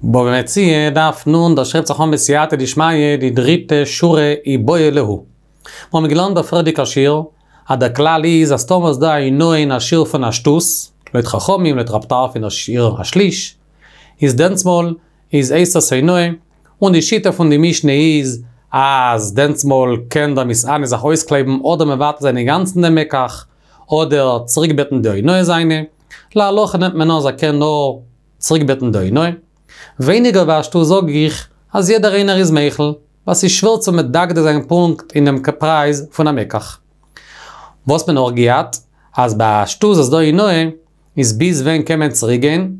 בבא מציעא, דף נ, דאס שרייבט זיך אן בסייעתא דשמיא די דריטע שורה איבעיא להו. מיר האבן געלערנט דער פריערדיגער שיעור, אז דער כלל איז אז טאמער איז דא א אונאה אין א שיעור פון א שטות, לויט חכמים, לויט רב טרפון דער שיעור א שליש, איז דענסמאל איז הייסט עס אונאה, און די שיטה פון די משנה איז אז דענסמאל קען דער מתענה זיך אויסקלייבן אדער מבטל זיין אינגאנצן דעם מקח, אדער צוריקבעטן די אונאה זיינע, להלכה נעמט מען אן אז ער קען נאר צוריקבעטן די אונאה. ווייניגער ווי א שטות זאג איך אז יעדער איינער איז מוחל, ווייל ס'איז שווער צו מדקדק זיין פונקט אין דעם פרייז פון א מקח. וואס מען נאך געהאט, אז ביי א שטות וואס דא אונאה, איז ביז ווען קען מען צוריק גיין,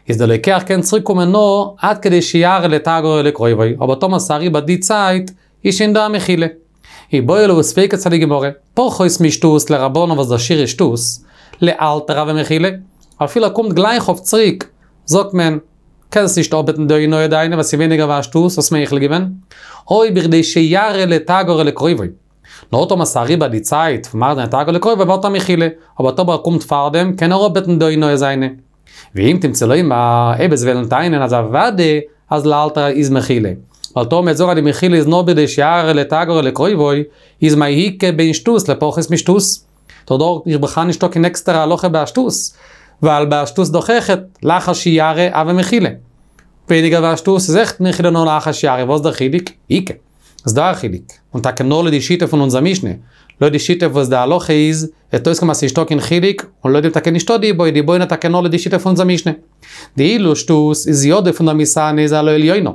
איז דער לוקח קען צוריק קומען נאר עד כדי שיראה לתגרו לקרובו, אבער טאמער ס'איז אריבער די צייט, איז שוין דא א מחילה. איבעיא להו ספיקא צו די גמרא, פחות משטות לרבנן וואס דער שיעור איז שטות, לאלתר הוי מחילה, אפילו ער קומט גלייך אויף צוריק, זאגט מען, קענסט נישט אפבעטן די אונאה דיינע ווייל ס'איז ווייניגער ווי א שטות, האסט מוחל געווען, או בכדי שיראה לתגרו לקרובו. נאר טאמער ס'איז אריבער די צייט פון מראה זיין לתגרו לקרובו ווערט א מחילה, אבער טאמער ער קומט פארדעם קען ער אפבעטן די אונאה זיינע. ואם תמצא לומר, אויב וועסט וועלן טענה'ן אז אוודאי אז לאלתר איז מחילה, ווייל טאמער מ'וועט זאגן אז די מחילה איז נאר בכדי שיראה לתגרו לקרובו, איז מאי איכא בין שטות לפחות משטות? דאך דארט איז בכלל נישטא קיין עקסטערע הלכה ביי א שטות, ווייל ביי א שטות דאך אויכעט לאחר שיראה הוי מחילה. ווייניגער ווי א שטות איז אויכעט מחילה נאר לאחר שיראה, וואס דער חילוק? איכא. איז דא א חילוק, און טאקע נאר לויט די שיטה פון אונזער משנה, לויט די שיטה וואס די הלכה איז, וועט אויסקומען אז ס'נישטא קיין חילוק, און לויט דעם טאקע נישטא די איבעיא, די איבעיא נאר טאקע נאר לויט די שיטה פון אונזער משנה. דאילו שטות איז ידו פון דער מתענה איז על העליונה.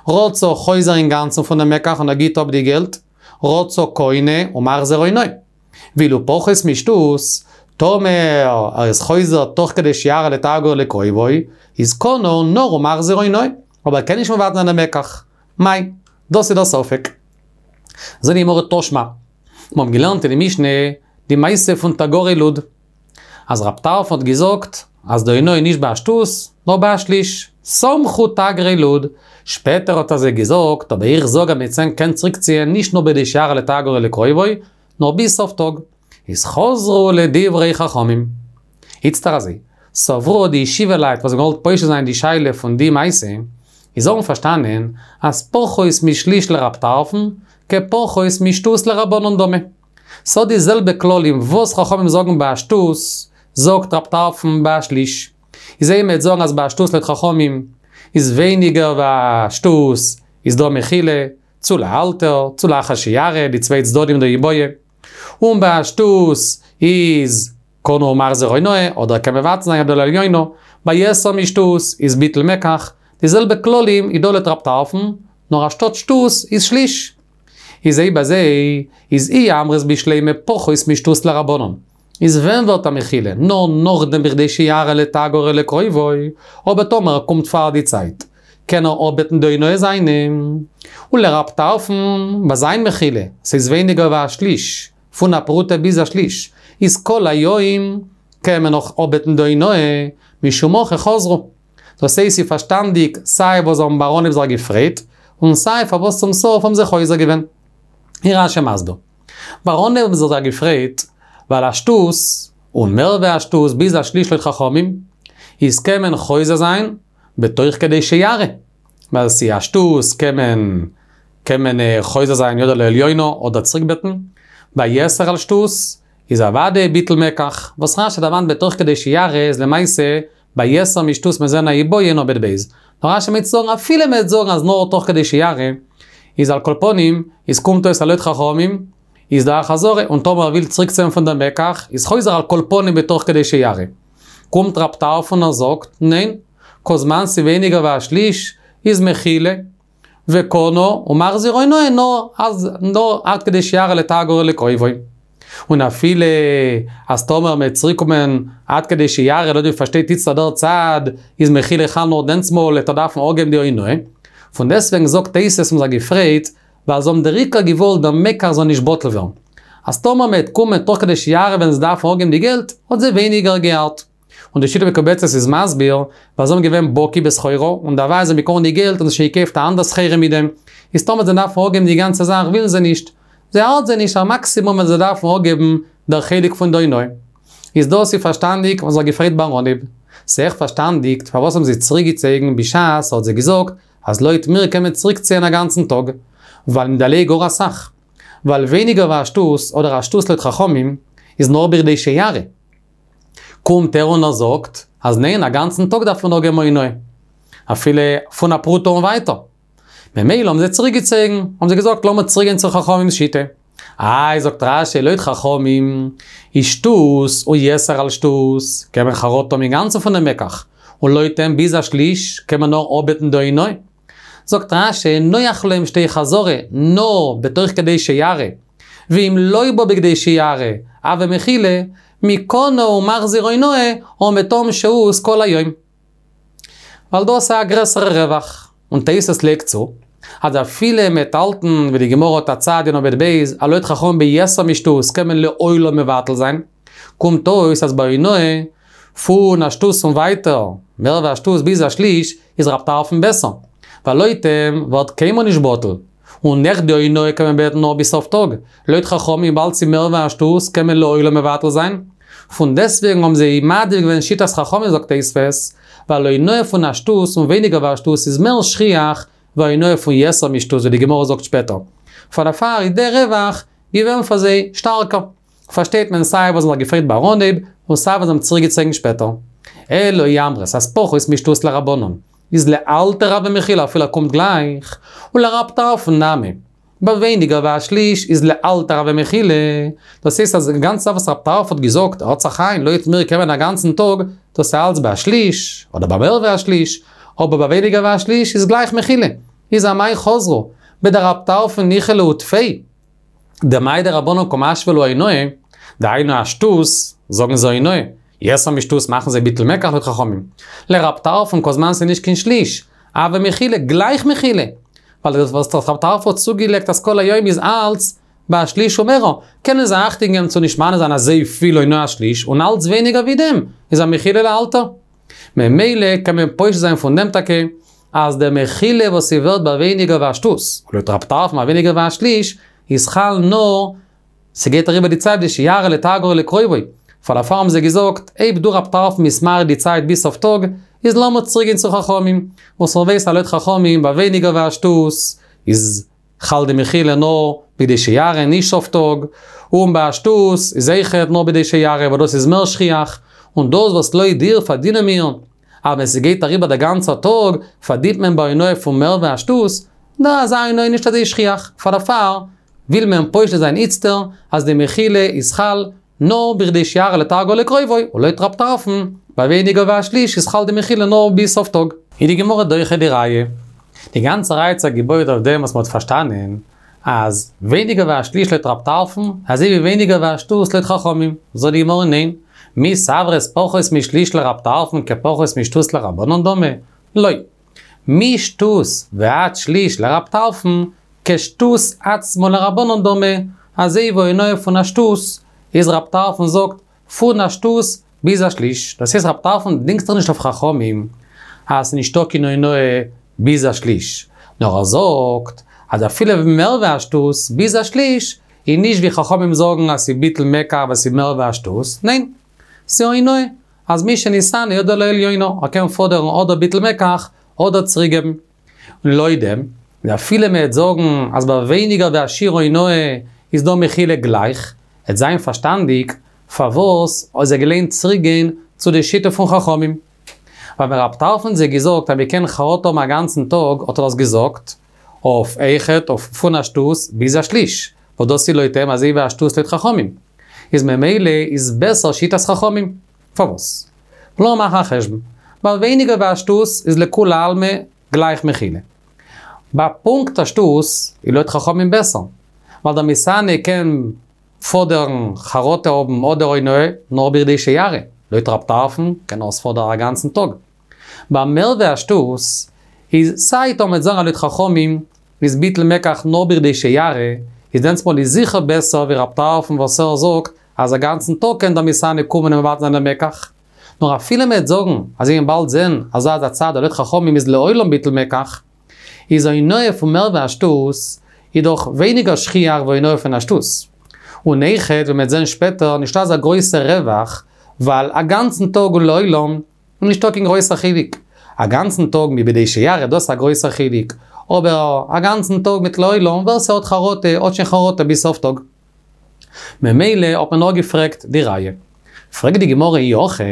רצה חוזר אינגאנצן פון דעם מקח און ער גיט אפ די געלט, רצה קונה ומחזיר אונאה. ואילו פחות משטות, טאמער ער איז חוזר תוך כדי שיראה לתגרו לקרובו, איז קנה נאר ומחזיר אונאה, אבער ער קען נישט מבטל זיין דעם מקח. מאי? דאס איז דער ספק. זאגט די גמרא תא שמע. מיר האבן געלערנט אין די משנה די מעשה פון תגרי לוד. אז רב טרפון האט געזאגט אז די אונאה איז נישט ביי א שטות, נאר ביי א שליש. סמכו תגרי לוד. שפעטער האט ער זיי געזאגט, אבער איך זאג אז מען קען צוריקציען נישט נאר בכדי שיראה לתגרו לקרובו, נאר ביז סוף טאג. איז חזרו לדברי חכמים. איצטער אזוי, סברוה די ישיבה לייט וואס האבן געוואלט פושט זיין די שאלה פון די מעשה, איז האבן פארשטאנען אז פחות משליש לרב טרפון, כפחות משטות לרבנן דמי. ס'האט די זעלבע כללים וואס חכמים זאגן ביי א שטות, זאגט רב טרפון ביי א שליש. איז אויב מ'וועט זאגן אז ביי א שטות לויט חכמים איז ווייניגער ווי א שטות איז דא מחילה, צו לאלתר, צו לאחר שיראה, די צוויי צדדים דאיבעיא. און ביי א שטות איז קנה ומחזיר אונאה, אדער קען מבטל זיין ידו על העליונה, ביי יתר משטות איז ביטול מקח, די זעלבע כללים איז דא לויט רב טרפון, נאר אנשטאט שטות איז שליש. איז אויב אזוי איז אי אמרת בשלימא פחות משטות לרבנן. איז ווען ווערט א מחילה? נאר נאכדעם בכדי שיראה לתגרו לקרובו, אבער טאמער ער קומט פאר די צייט, קען ער אפבעטן די אונאה זיינע. ולרב טרפון, ביי זיין מחילה, ס'איז ווייניגער ווי א שליש, פון א פרוטה ביז א שליש, איז כל היום קען מען נאך אפבעטן די אונאה, משום הכי חזרו. דאס הייסט ס'איז פארשטאנדיג סיי וואס זיי האבן ביים אנהייב זיך געפרייט, און סיי פארוואס צום סוף האבן זיי חוזר געווען. איז רש"י מסביר. ביים אנהייב האבן זיי זיך געפרייט, ווייל א שטות, און מער ווי א שטות ביז א שליש לויט חכמים, איז קען מען חוזר זיין בתוך כדי שיראה. ווייל ס'איז א שטות קען מען קען מען חוזר זיין ידו על העליונה אדער צוריקבעטן. ביי יתר על שטות איז אוודאי ביטול מקח, וואס רש"י דערמאנט בתוך כדי שיראה איז למעשה ביי יתר משטות מ'עט זען א איבעיא אין עמוד ב'. נאר רש"י מיינט צו זאגן אפילו מ'וועט זאגן אז נאר תוך כדי שיראה, איז על כל פנים, איז קומט אויס אז לויט חכמים, איז דא א חזרה, און טאמער ער וויל צוריקציען פון דעם מקח, איז חוזר על כל פנים בתוך כדי שיראה. קומט רב טרפון און זאגט, ניין, כל זמן ס'ווייניגער ווי א שליש, איז מחילה, וקנה ומחזיר אונאה נאר אז נאר עד כדי שיראה לתגרו לקרובו. און אפילו אז טאמער מ'וועט צוריק קומען עד כדי שיראה לויט ווי פארשטייט איצטער דער צד איז מחילה חל נאר דענסמאל וועט ער דארפן אפגעבן די אונאה. פון דעסטוועגן זאגט תוס' האבן זיך געפרייט ווייל זיי האבן דער עיקר געוואלט דער מקח זאל נישט בטל ווערן. אז טאמער מ'וועט קומען תוך כדי שיראה וועלן זיי דארפן אפגעבן די געלט האט זיי ווייניגער געארט. און די שיטה מקובצת איז מסביר, ווייל זיי האבן געווען בקי בסחורה, און דערווייל זיי האבן באקומען די געלט און זיי שוין געקויפט א אנדער סחורה מיט דעם, איז טאמער זיי דארפן אפגעבן די גאנצע זאך ווילן זיי נישט. זיי ארט זיי נישט א מאקסימום ווען זיי דארפן אפגעבן דער חלק פון די אונאה. איז דאס איז פארשטאנדיג וואס זיך געפרייט ביים אנהייב. ס'איז פארשטאנדיג פארוואס האבן זיי צוריקגעצויגן בשעת ער האט זיי געזאגט אז לויט מיר קען מען צוריקציען א גאנצן טאג, ווייל מ'דערלייגט גאר אסאך. ווייל ווייניגער ווי א שטות אדער א שטות לויט חכמים איז נאר בכדי שיראה. קומט ער און ער זאגט אז ניין א גאנצן טאג דארף מען נאר געבן אונאה. אפילו פון א פרוטה און ווייטער. ממילא האבן זיי צוריקגעצויגן, האבן זיי געזאגט לאמיר צוריקגיין צו חכמים'ס שיטה. איי זאגט רש"י לויט חכמים איז שטות ויתר על שטות קען מען חרטה האבן אינגאנצן פונעם מקח, און לויט אים ביז א שליש קען מען נאר אפבעטן די אונאה. זאגט רש"י נוח להם שתהא חזרה נאר בתוך כדי שיראה, ואם לא בא בכדי שיראה, הוה מחילה, מקנה ומחזיר אונאה, או מתום שהות כל היום. ווייל דאס איז א גרעסערע רווח. און תוס' לייגט צו, אז אפילו מ'עט האלטן ווי די גמרא האט א צד אין עמוד ב', אז לויט חכמים ביתר משטות קען מען לעולם מבטל זיין, קומט אויס אז ביי אונאה פון א שטות און ווייטער, מער ווי א שטות ביז א שליש, איז רב טרפון בעסער. ווייל לויט אים ווערט קיינמאל נישט בטל. און נאך די אונאה קען מען בעטן נאר ביז סוף טאג. לויט חכמים וויבאלד ס'איז מער ווי א שטות קען מען לעולם מבטל זיין. פון דעסטוועגן האבן זיי מעדיף געווען שיטת חכמים זאגט תוספות, ווייל אונאה פון א שטות און ווייניגער ווי א שטות איז מער שכיח ווי אונאה פון יתר משטות ווי די גמרא זאגט שפעטער. פאר דערפאר איז דער רווח געווען פאר זיי שטארקער. פארשטייט מען סיי וואס זיי האבן זיך געפרייט ביים אנהייב און סיי וואס זיי האבן צוריקגעצויגן שפעטער. אלא אי אמרת אז פחות משטות לרבנן איז לאלתר הוה מחילה אפילו ער קומט גלייך, ולרב טרפון נמי. ביי ווייניגער ווי א שליש איז לאלתר הוה מחילה, דאס הייסט אז די גאנצע זאך וואס רב טרפון האט געזאגט ער האט זיך איין לויט מיר קען מען א גאנצן טאג, דאס איז אלץ ביי א שליש, אדער ביי מער ווי א שליש, אבער ביי ווייניגער ווי א שליש איז גלייך מחילה. איז אמאי חזרו, בדרב טרפון ניחא להו טפי. דמאי דרבנן קא משוי להו אונאה, דהיינו א שטות, זאגן זיי אונאה, יתר משטות מאכן זיי ביטול מקח לויט חכמים. לרב טרפון כל זמן ס'איז נישט קיין שליש, הוה מחילה, גלייך מחילה. ווייל דאס וואס רב טרפון האט צוגעלייגט אז כל היום איז אלץ ביי א שליש ומערער, קענען זיי אכטונג געבן צו נישט מענה זיין אזוי פיל אונאה א שליש, און אלץ ווייניגער ווי דעם איז א מחילה לאלתר. ממילא קען מען פושט זיין פון דעם טאקע אז די מחילה וואס ס'ווערט ביי ווייניגער ווי א שטות, לויט רב טרפון ביי ווייניגער ווי א שליש, איז חל נאר ס'גייט אריבער די צייט בכדי שיראה לתרגו לקרובו, פאר דערפאר האבן זיי געזאגט, אויב דו רב טרפון ביסט מאריך די צייט ביז סוף טאג, איז לאמיר צוריק גיין צו חכמים, וואס מ'ווייסט אז לויט חכמים ביי ווייניגער ווי א שטות איז חל די מחילה נאר בכדי שיראה נישט סוף טאג, און ביי א שטות איז אויכעט נאר בכדי שיראה ווייל דאס איז מער שכיח, און דאס וואס לויט דיר פארדינען מיר אז ווען ס'גייט אריבער דער גאנצער טאג פארדינט מען ביי אונאה פון מער ווי א שטות, דא אזא אונאה איז נישט אזוי שכיח, פאר דערפאר וויל מען פושט זיין איצטער אז די מחילה איז חל נאר בכדי שיראה לתרגו לקרובו, און לויט רב טרפון, ביי ווייניגער ווי א שליש איז חל די מחילה נאר ביז סוף טאג. איז די גמרא דוחה די ראיה. די גאנצע ראיה האט זיך געבויעט אויף דעם וואס מ'האט פארשטאנען אז ווייניגער ווי א שליש לויט רב טרפון, אזוי ווי ווייניגער ווי א שטות לויט חכמים. זאגט די גמרא ניין, מי סברת פחות משליש לרב טרפון כפחות משטות לרבנן דמי? לא. משטות ועד שליש לרב טרפון, כשטות עצמו לרבנן דמי, אזוי ווי אונאה פון א שטות, איז רב טרפון זאגט, פון א שטות ביז א שליש, דאס הייסט רב טרפון דינגט זיך נישט אויף חכמים אז ס'נישטא קיין אונאה ביז א שליש, נאר ער זאגט אז אפילו מער ווי א שטות ביז א שליש, איז נישט ווי חכמים זאגן אז ס'ביטול מקח ווייל ס'איז מער ווי א שטות, ניין, ס'אונאה, אז מי שנתענה ידו על העליונה, ער קען פאדערן אדער ביטול מקח אדער צוריקגעבן. און לויט דעם, ווי אפילו מ'העט זאגן אז ביי ווייניגער ווי א שיעור אונאה איז דא מחילה גלייך, העט זיין פארשטאנדיג פארוואס האט זיי געלוינט צוריק גיין צו די שיטה פון חכמים. ווייל ווען רב טרפון האט זיי געזאגט אז מ'קען חרטה האבן א גאנצן טאג האט ער דאס געזאגט אויף אויכעט אויף פון א שטות ביז א שליש, וואס דאס איז לויט אים אזוי ווי א שטות לויט חכמים. איז ממילא איז בעסער שיטת חכמים. פארוואס? לאמיר מאכן א חשבון. ביי ווייניגער ווי א שטות איז לכולי עלמא גלייך מחילה. ביי פונקט א שטות איז לויט חכמים בעסער. ווייל דער מתענה קען פאדערן חרטה האבן אדער אונאה נאר בכדי שיראה. לויט רב טרפון קען ער עס פאדערן א גאנצן טאג. ביי מער ווי א שטות איז סיי טאמער מ'עט זאגן אז לויט חכמים איז ביטול מקח נאר בכדי שיראה, איז דענסמאל איז זיכער בעסער ווי רב טרפון וואס ער זאגט אז א גאנצן טאג קען דער מתענה קומען און מבטל זיין דעם מקח. נאר אפילו מ'עט זאגן אז מיר וועלן באלד זען אז אזא צד אז לויט חכמים איז לעולם ביטול מקח, איז אונאה פון מער ווי א שטות איז דאך ווייניגער שכיח ווי אונאה פון א שטות. און אויכעט ווי מ'עט זען שפעטער נישטא אזא גרויסע רווח, ווייל א גאנצן טאג און לעולם. און נישטא קיין גרויסער חילוק. א גאנצן טאג מיט בכדי שיראה דאס איז א גרויסער חילוק, אבער א גאנצן טאג מיט לעולם ווער ס'האט חרטה האט שוין חרטה ביז סוף טאג. ממילא האט מען נאר געפרעגט די ראיה. פרעגט די גמרא אי הכי,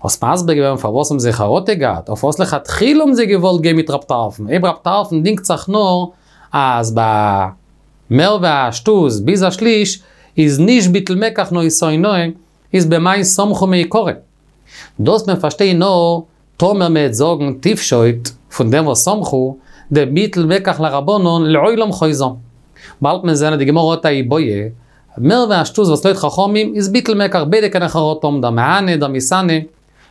האסט מסביר געווען פארוואס האבן זיי חרטה געהאט, אויף וואס לכתחילה האבן זיי געוואלט גיין מיט רב טרפון, אויב רב טרפון דינגט זיך נאר אז ביי מער ווי א שטות ביז א שליש איז נישט ביטול מקח נאר איז אונאה, איז במאי סמכו מעיקרא. דאס מען פארשטיין נאר טאמער מ'עט זאגן תפשוט פון דעם וואס סמכו, דביטול מקח לרבנן לעולם חוזר. באלד מען זען אז די גמרא האט א איבעיא, מער ווי א שטות וואס לויט חכמים איז ביטול מקח ביידע קענען חרטה האבן דער מהנה דער מתענה,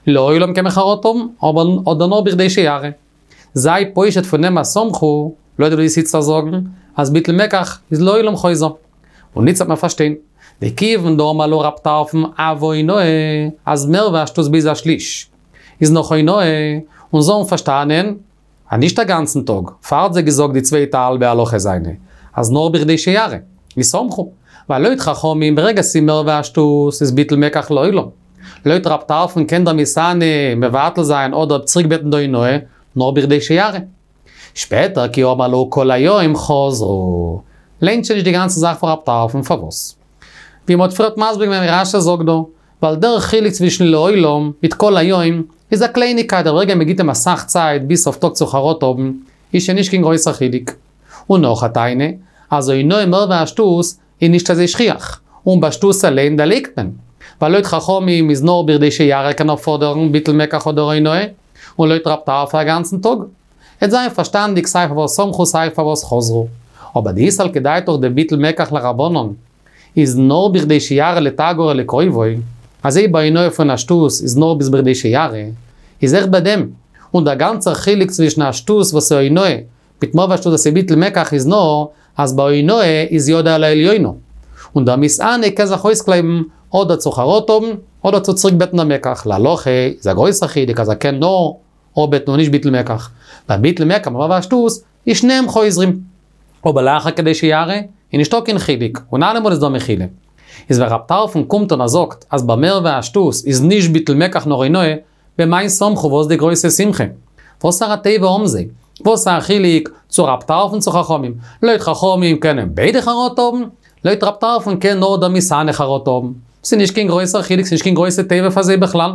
לעולם קען מען חרטה האבן, אבער אדער נאר בכדי שיראה. זיי פושט פון דעם אז סמכו, לויט ווי דו וועסט איצטער זאגן, אז ביטול מקח איז לעולם חוזר. און איצט וועט מען פארשטיין. דכיון דאמר להו רב טרפון הוי אונאה, אז מער ווי א שטות ביז א שליש איז נאך אונאה, און זיי האבן פארשטאנען אז נישט א גאנצן טאג, פאר האט זיי געזאגט די צווייטע האלבע הלכה זיינע, אז נאר בכדי שיראה, איז סמכו, ווייל לויט חכמים ברגע ס'איז מער ווי א שטות איז ביטול מקח לעולם. לויט רב טרפון קען דער מתענה מבטל זיין אדער צוריקבעטן די אונאה, נאר בכדי שיראה. שפעטער כי אמר להו כל היום חזרו. לוינט שוין נישט די גאנצע זאך פון רב טרפון, פארוואס? ווי מ'האט פריערט מסביר געווען ווי רש"י זאגט דא, ווייל דער חילוק צווישן לעולם מיט כל היום איז א קלייניגקייט דער רגע מ'גיט אים אסאך צייט ביז סוף טאג צו חרטה האבן איז שוין נישט קיין גרויסער חילוק. און נאך א טענה, אז אונאה מער ווי א שטות איז נישט אזוי שכיח, און ביי שטות אליין דערלייגט מען, ווייל לויט חכמים איז נאר בכדי שיראה קען ער פאדערן ביטול מקח אדער אונאה, און לויט רב טרפון א גאנצן טאג. עט זיין פארשטאנדיג סיי פארוואס סמכו סיי פארוואס חזרו. אבער דאי סלקא דעתך דביטול מקח לרבנן איז נאר בכדי שיראה לתגריה לקרובו, אזוי ביי אונאה פון א שטות איז נאר ביז בכדי שיראה, איז אויך ביי דעם, און דער גאנצער חילוק צווישן א שטות וואס איז אונאה מיט מער ווי א שטות וואס איז ביטול מקח איז נאר אז ביי אונאה איז ידו על העליונה, און דער מתענה קען זיך אויסקלייבן אדער צו חרטה האבן אדער צו צוריק בעטן דער מקח, להלכה איז א גרויסער חילוק אז ער קען נאר אפבעטן און נישט ביטול מקח, ביי ביטול מקח מער ווי א שטות איז שניהם חוזרים. אבער לאחר כדי שיראה איז נישטא קיין חילוק און אלעמאל איז דא מחילה. איז ווען רב טרפון קומט און ער זאגט אז ביי מער ווי א שטות איז נישט ביטול מקח נאר אונאה, במאי סמכו וואס די גרויסע שמחה? וואסארא טובה האבן זיי? וואס א חילוק צו רב טרפון צו חכמים? לויט חכמים קענען ביידע חרטה האבן, לויט רב טרפון קען נאר דער מתענה חרטה האבן. ס'איז נישט קיין גרויסער חילוק, ס'איז נישט קיין גרויסע טובה פאר זיי בכלל.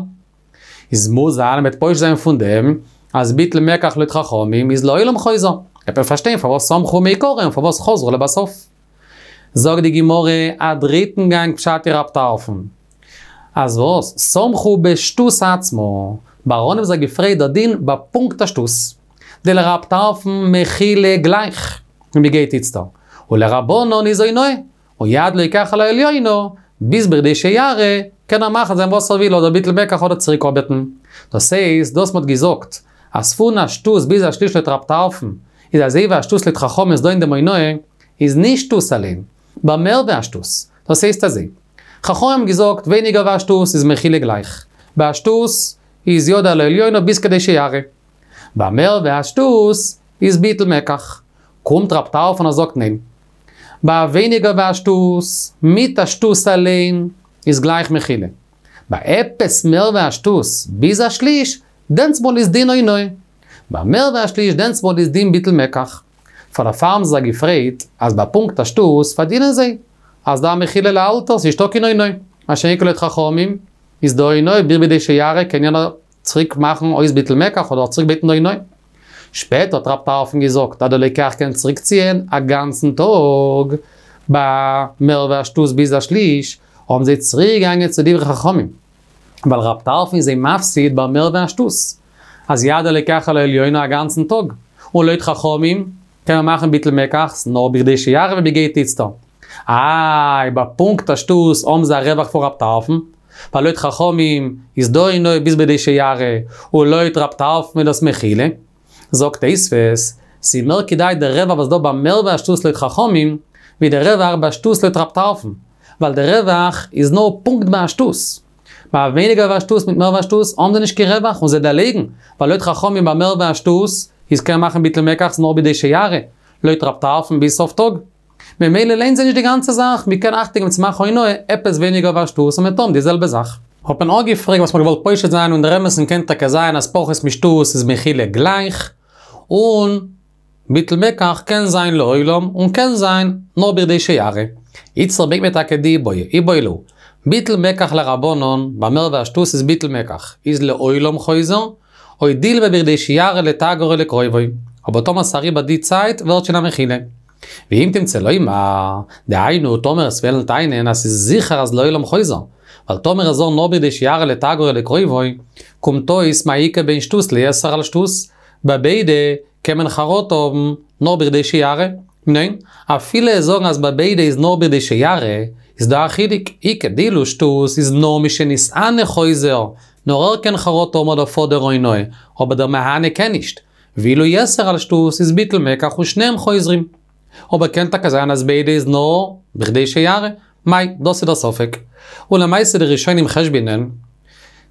איז מוז זיין מ'וועט פושט זיין פון דעם אז ביטול מקח לויט חכמים איז לעולם חוזר. וועט מען פארשטיין פארוואס סמכו מעיקרא און פארוואס חזרו לבסוף. זאגט די גמרא א דריטן גאנג פשט אין רב טרפון. אז וואס? סמכו בשטות עצמה. באראן האבן זיי געפרעגט דער דין ביי פונקט א שטות. דלרב טרפון מחילה גלייך, ווי מ'גייט איצטער. ולרבנן איז אונאה. און יד לוקח על העליונה, ביז בכדי שיראה, קען ער מאכן זיין וואס ער וויל אדער ביטול מקח אדער צוריק אפבעטן. דאס הייסט, דאס מ'האט געזאגט, אז פון א שטות ביז א שליש לויט רב טרפון, איז אזוי ווי א שטות לויט חכמים איז דא אין דעם אונאה, איז נישט שטות אליין, ביי מער ווי א שטות. דאס הייסט אזוי. חכמים האבן געזאגט ווייניגער ווי א שטות איז מחילה גלייך. ביי א שטות איז ידו על העליונה ביז כדי שיראה. ביי מער ווי א שטות איז ביטול מקח. קומט רב טרפון און זאגט ניין. ביי ווייניגער ווי א שטות, מיט א שטות אליין, איז גלייך מחילה. ביי עפעס מער ווי א שטות, ביז א שליש, דענסמאל איז דין אונאה. ביי מער ווי א שליש דענסמאל איז דין ביטול מקח. פאר דערפאר האבן זיי געפרעגט אז ביי פונקט א שטות פארדינען זיי אז דא מחילה לאלתר ס'איז נישטא קיין אונאה. מה שאין כן לויט חכמים איז דא אונאה ביז בכדי שיראה קען יענער צוריק מאכן אויס ביטול מקח אדער צוריק בעטן די אונאה. שפעטער האט רב טרפון געזאגט אז דער לוקח קען צוריק ציען א גאנצן טאג ביי מער ווי א שטות ביז א שליש, האבן זיי צוריק געגאנגען צו דברי חכמים. ווייל רב טרפון איז זיי מפסיד ביי מער ווי א שטות, אז יד הלוקח על העליונה א גאנצן טאג, און לויט חכמים קען מען מאכן ביטול מקח נאר בכדי שיראה ווי מ'גייט איצטער. איי, ביי פונקט א שטות האבן זיי א רווח פון רב טרפון, ווייל לויט חכמים איז דא אונאה ביז בכדי שיראה, און לויט רב טרפון איז דאס מחילה. זאגט תוספות, ס'איז מער כדאי דער רווח וואס דא ביי מער ווי א שטות לויט חכמים, ווי דער רווח ביי שטות לויט רב טרפון, ווייל דער רווח איז נאר פונקט ביי א שטות. ביי ווייניגער ווי א שטות מיט מער ווי א שטות האבן זיי נישט קיין רווח און זיי דערלייגן, ווייל לויט חכמים ביי מער ווי א שטות איז קען מען מאכן ביטול מקח נאר בכדי שיראה, לויט רב טרפון ביז סוף טאג. ממילא לוינט זיי נישט די גאנצע זאך, מ'קען אכטונג געבן צו מאכן אונאה עפעס ווייניגער ווי א שטות און מ'וועט האבן די זעלבע זאך. האט מען אפגעפרעגט וואס מ'האט געוואלט פושט זיין און דער אמת'ן קען טאקע זיין אז פחות משטות איז מחילה גלייך, און ביטול מקח קען זיין לעולם און קען זיין נאר בכדי שיראה. איצטער ברענגט מען טאקע די איבעיא, איבעיא להו. ביטול מקח לרבנן, ביי מער ווי א שטות איז ביטול מקח, איז לעולם חוזר, או דילמא בכדי שיראה לתגר או לקרובו. אבער טאמער ס'אריבער די צייט ווערט שוין א מחילה. ואם תמצא לומר, דהיינו טאמער וועסט וועלן טענה'ן אז ס'איז זיכער אז לעולם חוזר, ווייל טאמער ער זאל נאר בכדי שיראה לתגר או לקרובו, קומט אויס מאי איכא בין שטות ליתר על שטות, ביי ביידע קען מען חרטה האבן נאר בכדי שיראה. ניין, אפילו זאגן אז ביי ביידע איז נאר בכדי שיראה, איז דא א חילוק, איכא דאילו שטות איז נאר משנתענה חוזר, נאר ער קען חרטה האבן אדער פאדערן אונאה, אבער דער מהנה קען נישט. ואילו יתר על שטות איז ביטול מקח ושניהם חוזרים. אבער קען טאקע זיין אז ביידע איז נאר בכדי שיראה. מאי, דאס איז דער ספק. און למעשה די ראשונים חשבונ'ען,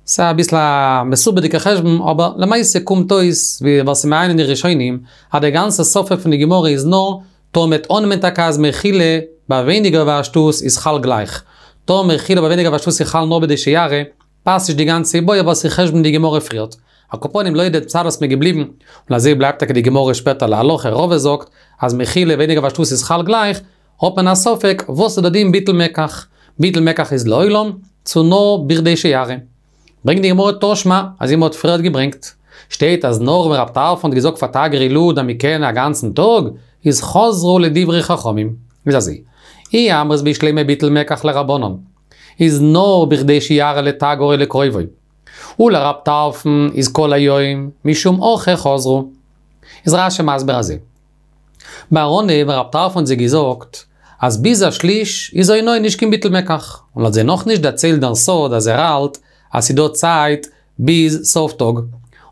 ס'איז אביסל א מסובכ'דיגע חשבון, אבער למעשה קומט אויס, ווי וואס ס'איז מעיין אין די ראשונים, אז דער גאנצע ספק פון די גמרא איז נאר, טאמער מ'וועט אננעמען טאקע אז מחילה ביי ווייניגער ווי א שטות איז חל גלייך. טאמער מחילה ביי ווייניגער ווי א שטות איז חל נאר בכדי שיראה, פאסט נישט די גאנצע איבעיא וואס איז חשבון די גמרא פריערט. על כל פנים לויט די צד וואס מ'איז געבליבן, און אזוי בלייבט טאקע די גמרא שפעטער להלכה, רבא זאגט אז מחילה ווייניגער ווי א שטות איז חל גלייך, האט מען א ספק וואס איז די דין ביטול מקח, ביטול מקח איז לעולם, צו נאר בכדי שיראה. ברענגט די גמרא תא שמע, אזוי מ'האט פריערט געברענגט. שטייט אז נאר ווען רב טרפון האט געזאגט פאר תגרי לוד אז מ'קען א גאנצן טאג, איז חזרו לדברי חכמים. איז אזוי, אי אמרת בשלמא ביטול מקח לרבנן, איז נאר בכדי שיראה לתגר או לקרובו. ולרב טרפון איז כל היום, משום הכי חזרו. איז רשי מסביר אזוי. ביים אנהייב ווען רב טרפון האט זיי געזאגט אז ביז א שליש איז אונאה נישט קיין ביטול מקח, און האט זיי נאכנישט דערציילט דעם סוד אז ער האלט אז ס'דא צייט ביז סוף טאג,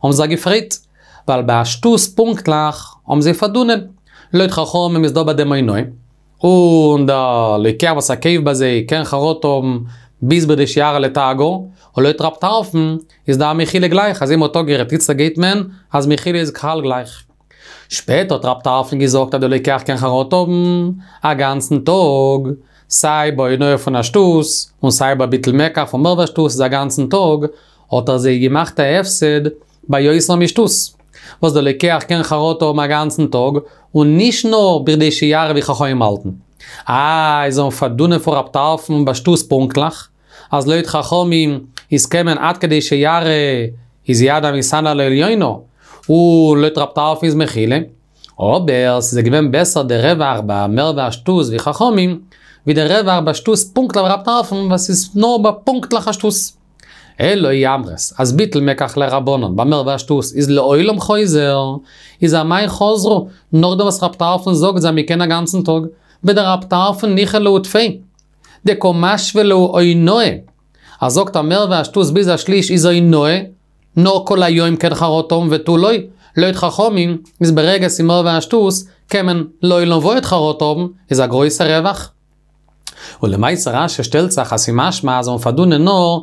האבן זיי געפרעגט, ווייל ביי א שטות פונקטליך האבן זיי פארדונען, לויט חכמים איז דא ביי דעם אונאה, און דער לוקח וואס ער קויפט ביי זיי קען חרטה האבן ביז בכדי שיראה לתגר, און לויט רב טרפון איז דא א מחילה גלייך, אזוי מ'האט אפגערעדט איצטער גייט מען אז מחילה איז חל גלייך. שפעטער האט רב טרפון געזאגט אז דער לוקח קען חרטה האבן א גאנצן טאג, סיי ביי אונאה פון א שטות, און סיי ביי ביטול מקח פון מער ווי א שטות איז א גאנצן טאג, האט ער זיי געמאכט א הפסד ביי יותר משטות, וואס דער לוקח קען חרטה האבן א גאנצן טאג, און נישט נאר בכדי שיראה ווי חכמים האלטן. איי, זיי האבן פארדונען פון רב טרפון ביי שטות פונקטליך, אז לויט חכמים איז קען מען עד כדי שיראה איז יד המתענה על העליונה, און לויט רב טרפון איז מחילה. אבער ס'איז געווען בעסער די רווח ביי מער ווי א שטות ווי חכמים, ווי די רווח ביי שטות פונקטליך ווי רב טרפון וואס איז נאר ביי פונקטליך א שטות. אלא אי אמרת אז ביטול מקח לרבנן ביי מער ווי א שטות איז לעולם חוזר, איז אמאי חזרו, נאכדעם וואס רב טרפון זאגט זיי מ'קען א גאנצן טאג, בדרב טרפון ניחא להו טפי, דקא משוי להו אונאה, ער זאגט אז מער ווי א שטות ביז א שליש איז אונאה, נאר כל היום קען חרטה האבן ותו לא, לויט חכמים איז ברגע ס'איז מער ווי א שטות קען מען לעולם ועד חרטה האבן, איז א גרויסע רווח. ולמעשה רשי שטעלט זיך אז ס'משמע אז זיי האבן פארדונען נאר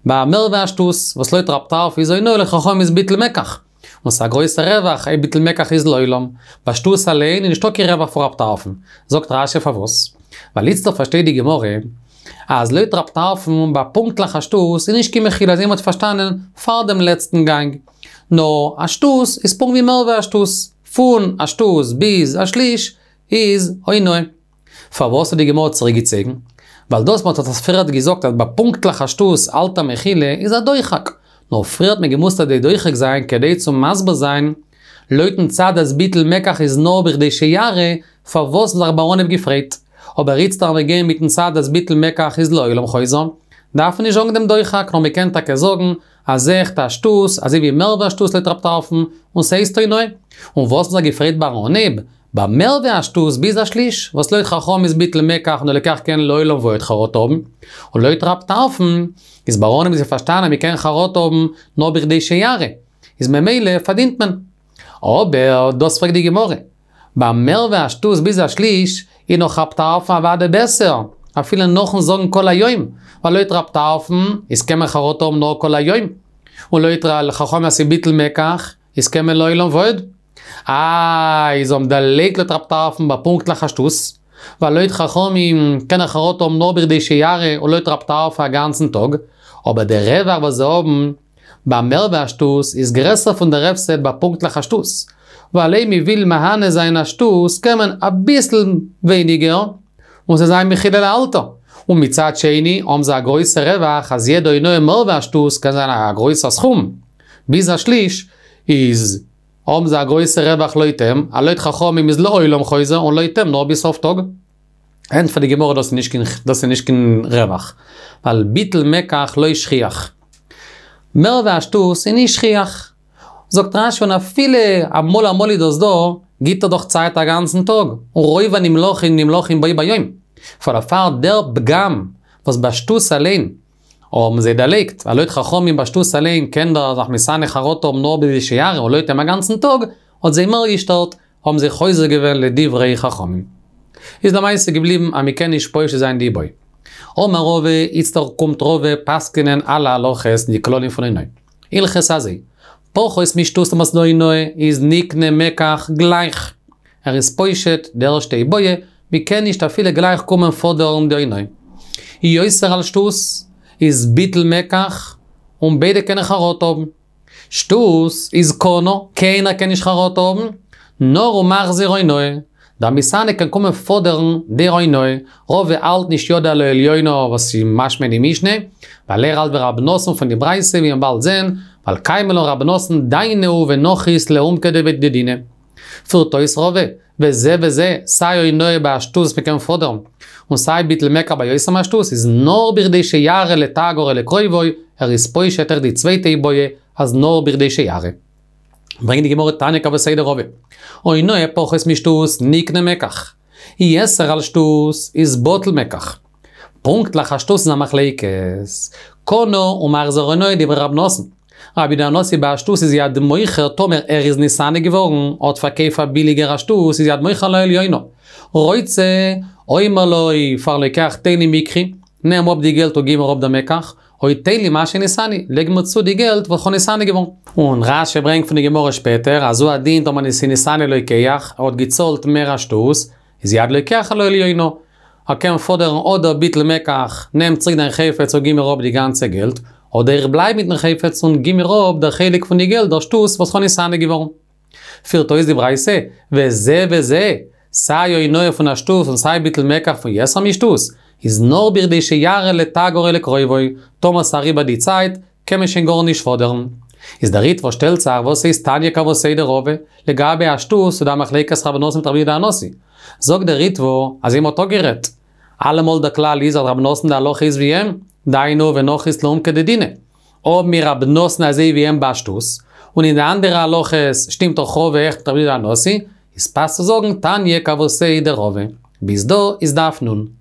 ביי מער ווי א שטות, וואס לויט רב טרפון איז אונאה לויט חכמים איז ביטול מקח. און ס'איז א גרויסע רווח אויב ביטול מקח איז לעולם. ביי שטות אליין איז נישטא קיין רווח פון רב טרפון. זאגט רשי פארוואס? ווייל איצטער פארשטייט די גמרא אז לויט רב טרפון ביי פונקטליך א שטות איז נישט קיין מחילה אזוי מ'האט פארשטאנען פאר דעם לעצטן גאנג. נאר א שטות איז פונקט ווי מער ווי א שטות. פון א שטות ביז א שליש איז אונאה. פארוואס האט די גמרא צוריק געצויגן? ווייל דאס מ'האט עס פריערט געזאגט אז ביי פונקטליך א שטות האלט ער מחילה איז א דוחק, נאר פריער האט מען געמוזט אזוי דוחק זיין כדי צו מסביר זיין לויטן צד אז ביטול מקח איז נאר בכדי שיראה, פארוואס האבן זיך ביים אנהייב געפרייט. אבער איצטער אז מיר גייען מיטן צד אז ביטול מקח איז לעולם חוזר, דארף מען נישט זאגן דעם דוחק נאר מ'קען טאקע זאגן אז עכט א שטות, אזוי ווי מער ווי א שטות לויט רב טרפון, און ס'הייסט אונאה. און וואס האבן זיך געפרייט ביים אנהייב? ביי מער ווי א שטות ביז א שליש, וואס לויט חכמים איז ביטול מקח און דער לוקח קען לעולם ועד חרטה האבן, און לויט רב טרפון איז ביים אנהייב האבן זיי פארשטאנען אז מ'קען חרטה האבן נאר בכדי שיראה, איז ממילא פארדינט מען. אבער דאס פרעגט די גמרא, ביי מער ווי א שטות ביז א שליש איז נאך רב טרפון אוודאי בעסער, אפילו נאכן זאגן כל היום, ווייל לויט רב טרפון איז קען מען חרטה האבן נאר כל היום, און לויט חכמים אז ס'איז ביטול מקח איז קען מען לעולם ועד. איי, זיי האבן דערלייגט לויט רב טרפון ביי פונקטליך א שטות, ווייל לויט חכמים קען ער חרטה האבן נאר בכדי שיראה און לויט רב טרפון א גאנצן טאג, אבער דער רווח וואס זיי האבן ביי מער ווי א שטות איז גרעסער פון דער הפסד ביי פונקטליך א שטות. ווייל אויב מען וויל מהנה זיין א שטות קען מען אביסל ווייניגער און ס'זאל זיין מחילה לאלתר. און מצד שני האבן זיי א גרויסע רווח אז יעדע אונאה מער ווי א שטות קען זיין א גרויסע סכום, ביז א שליש איז האבן זיי א גרויסע רווח לויט אים, אז לויט חכמים איז לעולם חוזר און לויט אים נאר ביז סוף טאג. ענטפערט די גמרא דאס איז נישט קיין דאס איז נישט קיין רווח, ווייל ביטול מקח לא שכיח. מער ווי א שטות איז נישט שכיח. זאגט רש"י און אפילו אמאל אמאל איז דאס דא, גיט ער דאך צייט א גאנצן טאג, און רוב הנמלכין נמלכין בו ביום. פאר דערפאר דער פגם וואס ביי שטות אליין האבן זיי דערלייגט, ווייל לויט חכמים ביי שטות אליין קען דער זיך מתענה חרטה האבן נאר בכדי שיראה און לויט אים א גאנצן טאג, האט זיי מער געשטערט, האבן זיי חוזר געווען לדברי חכמים. איז למעשה געבליבן אז מ'קען נישט פושט זיין די איבעיא. אמר רבא, איצטער קומט רבא פסק'נען אלע הלכות אין די כללים פון אונאה. הלכתא אזוי, פחות משטות טאמער ס'דא אונאה איז נקנה מקח גלייך. ער איז פושט די ערשטע איבעיא, מ'קען נישט אפילו גלייך קומען פאדערן די אונאה. יותר על שטות איז ביטול מקח און ביידע קענען חרטה האבן. שטות איז קנה, קיינער קען נישט חרטה האבן, נאר ומחזיר אונאה. דער מתענה קען קומען פאדערן די אונאה, רבא האלט נישט ידו על העליונה וואס איז משמע אין די משנה, ווייל ער האלט ווי רבי נתן פון די ברייתא ווי מ'וועט באלד זען, ווייל קיימא לן רבי נתן דיינו ונחית לעומקא דדינא. פירט אויס רבא, וזה וזה, סיי אונאה ביי א שטות וואס מ'קען פאדערן, און סיי ביטול מקח ביי יותר משטות איז נאר בכדי שיראה לתגר או לקרובו, ער איז פושט אויך די צווייטע איבעיא אז נאר בכדי שיראה. ברענגט די גמרא תניא כוותיה דרבא. אונאה פחות משטות נקנה מקח. יתר על שטות איז בטל מקח. פונקטליך א שטות איז א מחלוקת. קנה ומחזיר אונאה דברי רב נתן. רבי יהודה הנשיא ביי א שטות איז יד מוכר טאמער ער איז נתענה געווארן האט פארקויפט פאר ביליגער א שטות איז יד מוכר על העליונה. רוצה אומר לו פארן לוקח תן לי מקחי, נעם אפ די געלט און גיב מיר אפ דער מקח, או תן לי מה שעניתני, לייג מיר צו די געלט וואס כ'האב נתענה געווארן. און רש"י ברענגט פון די גמרא שפעטער אז הוא הדין טאמער ס'איז נתענה לוקח, ער האט געצאלט מער א שטות, איז יד לוקח על העליונה. ער קען פאדערן אדער ביטול מקח, נעם צוריק דיין חפץ און גיב מיר אפ די גאנצע געלט, אדער איך בלייב מיטן חפץ און גיב מיר אפ דער חלק פון די געלט דער שטות וואס כ'האב נתענה געווארן. פירט אויס די ברייתא, וזה וזה, סיי אונאה פון א שטות און סיי ביטול מקח פון יותר משטות, איז נאר בכדי שיראה לתגר או לקרובו, טאמער ס'אריבער די צייט, קען מען שוין גארנישט פאדערן. איז דער ריטב"א שטעלט זיך וואס הייסט תניא כוותיה דרבא, לגבי א שטות איז דא א מחלוקת רבי נתן מיט רבי יהודה הנשיא. זאגט דער ריטב"א אז מ'האט אפגערעדט. אלעמאל דער כלל איז אז רבי נתן די הלכה איז ווי אים, דיינו ונחית לעומקא דדינא. האבן מיר רבי נתן אזוי ווי אים ביי א שטות, און אין די אנדערע הלכות שטימט דאך רבא אויך מיט רבי יהודה הנשיא, איז פאסט צו זאגן תניא כוותיה דרבא. ביז דא איז דף נ'.